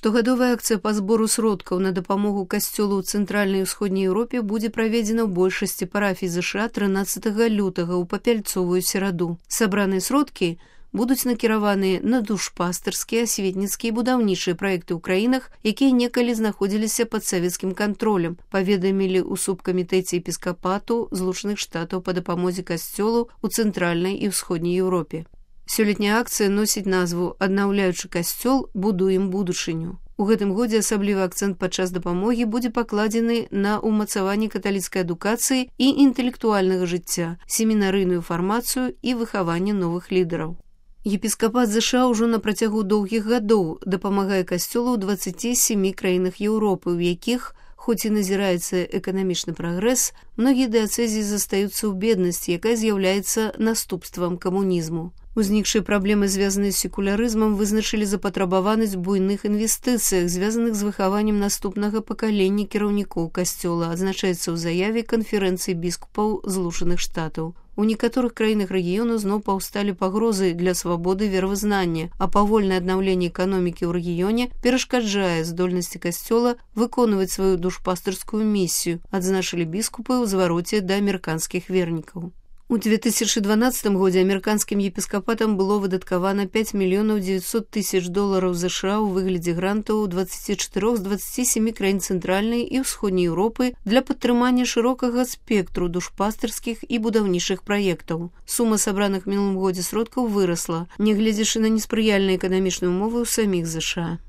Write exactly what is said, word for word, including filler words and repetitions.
Штогадовая акцыя па збору сродкаў на дапамогу касцёлу ў цэнтральнай і ўсходняй Еўропе будзе праведзена ў большасці парафій ЗША трынаццатага лютага ў папяльцовую сераду. Сабраныя сродкі будуць накіраваны на душпастырскія, асветніцкія і будаўнічыя праекты ў краінах, якія некалі знаходзіліся пад савецкім кантролем, паведамілі ў субкамітэце епіскапату Злучаных Штатаў па дапамозе касцёлу ў цэнтральнай і ўсходняй Еўропе. Сёлетняя акцыя носіць назву «Аднаўляючы касцёл, будуем будучыню». У гэтым годзе асаблівы акцэнт падчас дапамогі будзе пакладзены на ўмацаванне каталіцкай адукацыі і інтэлектуальнага жыцця, семінарыйную фармацыю і выхаванне новых лідараў. Епіскапат ЗША ўжо на працягу доўгіх гадоў дапамагае касцёлу ў дваццаці сямі краінах Еўропы, у якіх, хоць і назіраецца эканамічны прагрэс, многія дыяцэзіі застаюцца ў беднасці, якая з'яўляецца наступствам камунізму. Узнікшыя праблемы, звязаныя з секулярызмам, вызначылі запатрабаванасць буйных інвестыцыях, звязаных з выхаваннем наступнага пакалення кіраўнікоў касцёла, адзначаецца ў заяве канферэнцыі біскупаў Злучаных Штатаў. У некаторых краінах рэгіёну зноў паўсталі пагрозы для свабоды веравызнання, а павольнае аднаўленне эканомікі ў рэгіёне перашкаджае здольнасці касцёла выконваць сваю душпастырскую місію, адзначылі біскупы ў звароце да амерыканскіх вернікаў. У две тысячы дванаццатым годзе амерыканскім епіскапатам было выдаткавана пяць мільёнаў дзевяцьсот тысяч долараў ЗША ў выглядзе грантаў дваццаці чатырох з дваццаці сямі краін цэнтральнай і ўсходняй Еўропы для падтрымання шырокага спектру душпастырскіх і будаўнічых праектаў. Сума сабраных мінулым годзе сродкаў вырасла, нягледзячы на неспрыяльныя эканамічныя ўмовы ў саміх ЗША.